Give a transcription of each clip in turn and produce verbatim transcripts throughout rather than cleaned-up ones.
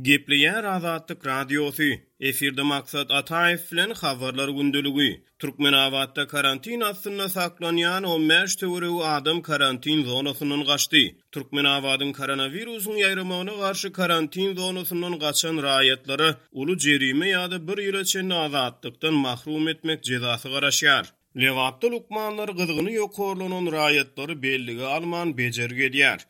Gepleýär Azatlyk Radiosy, efirde Maksat Ataýew bilen Habarlar gündeligi. Türkmenabatda karantin astynda saklanýan on bäş töweregi adam karantin zonasyndan gaçdy. Türkmenabadyň koronawirusyň ýaýramagyna garşy karantin zonasyndan gaçan raýatlara uly jerime ýa-da bir ýyla çenli azatlykdan mahrum etmek jezasy garaşýar. Lebapda lukmanlar gyzgyny ýokarlanan raýatlary bellige alman bejergi edýär.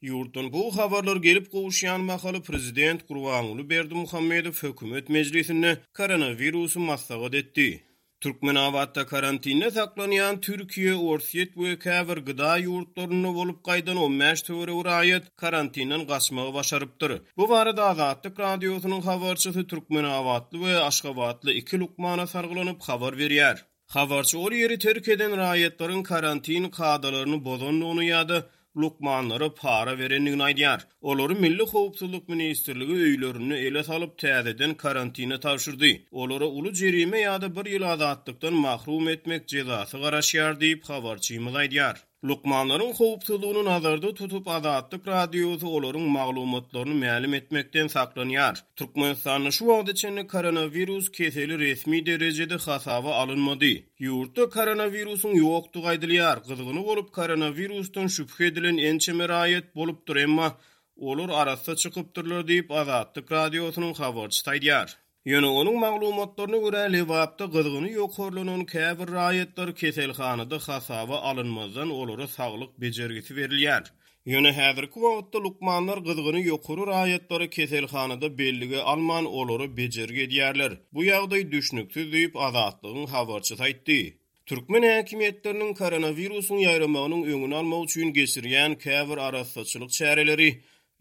Ýurtdan bu habarlar gelip gowuşýan mahaly prezident Gurbanguly Berdimuhamedow hökümet mejlisinde koronawirusy maslahat etdi. Türkmenabatda karantinde saklanýan Türkiýe, Orsýet we käbir gda ýurtlarynda bolup gaýdan on bäş töweregi raýat karantinden gaçmagy başarypdyr. Bu barada Azatlyk Radiosynyň habarçysy Türkmenabatly we Aşgabatly iki lukmana sargylanyp habar berýär. Habarçy ol ýeri terk eden raýatlaryň karantin kadalaryny bozandygyny ýa-da lukmanlara para berendigini aýdýar. Olary Milli howpsuzlyk ministrligi öýlerinde ele salyp täzeden karantine tabşyrdy. Olara uly jerime ýa-da bir ýyl azatlykdan mahrum etmek jezasy garaşýar diýip habarçymyz aýdýar. Lukmanlaryň howpsuzlygyny nazarda tutup Azatlyk Radiosy olaryň maglumatlaryny mälim etmekden saklanýar. Türkmenistanda şu wagta çenli koronawirus keseli resmi derejede hasaba alynmady. Ýurtda koronawirusyň ýokdugy aýdylýar. Gyzgyny bolup koronavirusdan şübhe edilen ençeme raýat bolupdyr, emma olar arassa çykypdyrlar diýip Azatlyk Radiosynyň habarçysy aýdýar. Ýöne onuň maglumatlaryna görä Lebapda gyzgyny ýokarlanan käbir raýatlar keselhanada hasaba alynmazdan olara saglyk bejergisi berilýär. Ýöne häzirki wagtda lukmanlar gyzgyny ýokary raýatlary keselhanada bellige alman olara bejergi edýärler. Bu ýagdaý düşnüksiz diýip Azatlygyň habarçysy aýtdy. Türkmen häkimiýetleriniň koronawirusyň ýaýramagynyň öňüni almak üçin geçirýän käbir arassaçylyk çäreleri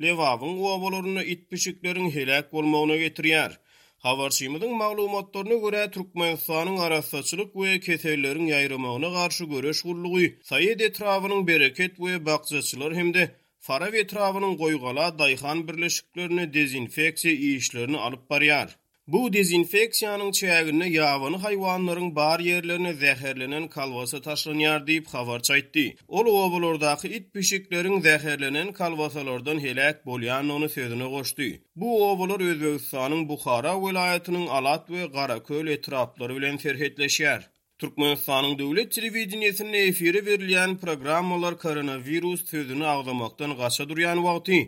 Lebabyň obalarynda it-pişikleriň heläk bolmagyna getirýär. Habarçymyzyň maglumatlaryna görä Türkmenistanyň arassaçylyk we keselleriň ýaýramagyna garşy göreş gullugy Saýat etrabynyň Bereket we Bakjaçylar hem-de Farap etrabynyň Goýgala daýhan birleşiklerine dezinfeksiýa işlerini alyp barýar. Bu dezinfeksiýanyň çäginde ýabany haýwanlaryň bar ýerlerine zäherlenen kalbasa taşlanýar diýip habarçy aýtdy. Ol obalardaky it-pişikleriň zäherlenen kalbasalardan heläk bolýandygyny sözüne goşdy. Bu obalar Özbegistanyň Buhara welaýatynyň Alat we Garaköl etraplary bilen serhetleşýär. Türkmenistanyň döwlet telewideniýesinde efire berilýän programmalar koronawirus sözüni agzamakdan gaça durýan wagty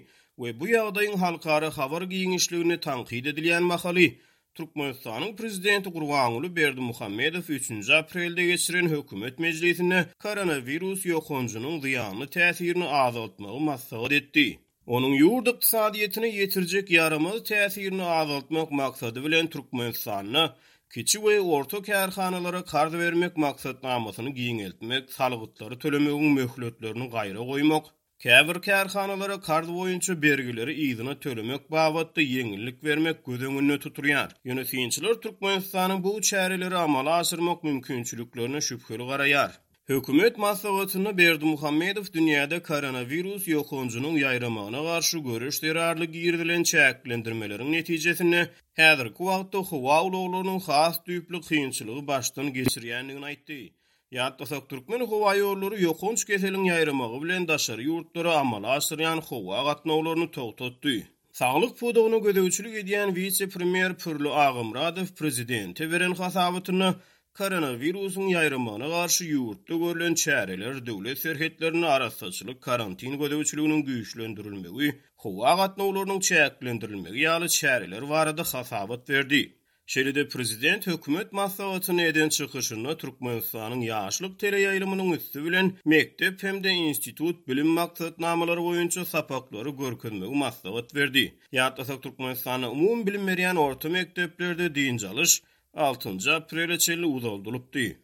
we bu ýagdaýyň halkara habar giňişliginde tankyt edilýän mahaly Türkmenistanyň prezidenti Gurbanguly Berdimuhamedow üçünji aprelde geçiren hökümet mejlisinde koronawirus ýokanjynyň zyýanly täsirini azaltmagy maslahat etdi. Onuň ýurt ykdysadyýetine ýetirjek ýaramaz täsirini azaltmak maksady bilen Türkmenistanda kiçi we orta kärhanalara karz bermek maksatnamasyny giňeltmek, salgytlary tölemegiň möhletlerini gaýra goýmak, käbir kärhanalara karz boýunça bergileri yzyna tölemek babatda ýeňillik bermek göz öňünde tutulýar. Ýöne synçylar Türkmenistanyň bu çäreleri amala aşyrmak mümkinçiliklerine şübheli garaýar. Hökümet maslahatynda Berdimuhamedow dünýäde koronawirus ýokanjynyň ýaýramagyna garşy göreş zerarly girizilen çäklendirmeleriň netijesinde häzirki wagtda howa ulaglarynyň has düýpli kynçylygy başdan geçirýändigini aýtdy. Ýatlasak, Türkmen howa ýollary ýokanç keseliň ýaýramagy bilen daşary ýurtlara amala aşyrýan howa gatnawlaryny togtatdy. Saglyk pudagyna gözegçilik edýän wise-premýer Pürli Agamradow prezidente beren hasabatynda koronawirusyň ýaýramagyna garşy ýurtda görlen çäreler, döwlet serhetlerinde arassaçylyk karantin gözegçiliginiň güýçlendirilmegi, howa gatnawlarynyň çäklendirilmegi ýaly çäreler barada hasabat berdi. Şeýle-de prezident hökümet maslahatyny eden çykyşynda Türkmenistanyň ýaşlyk teleýaýlymynyň üsti bilen mekdep hem-de institut bilim maksatnamalary boýunça sapaklary görkezmegi maslahat berdi. Ýatlasak, Türkmenistanda umumy bilim berýän orta mekdeplerde dynç alyş altynjy aprele çenli uzaldylypdy.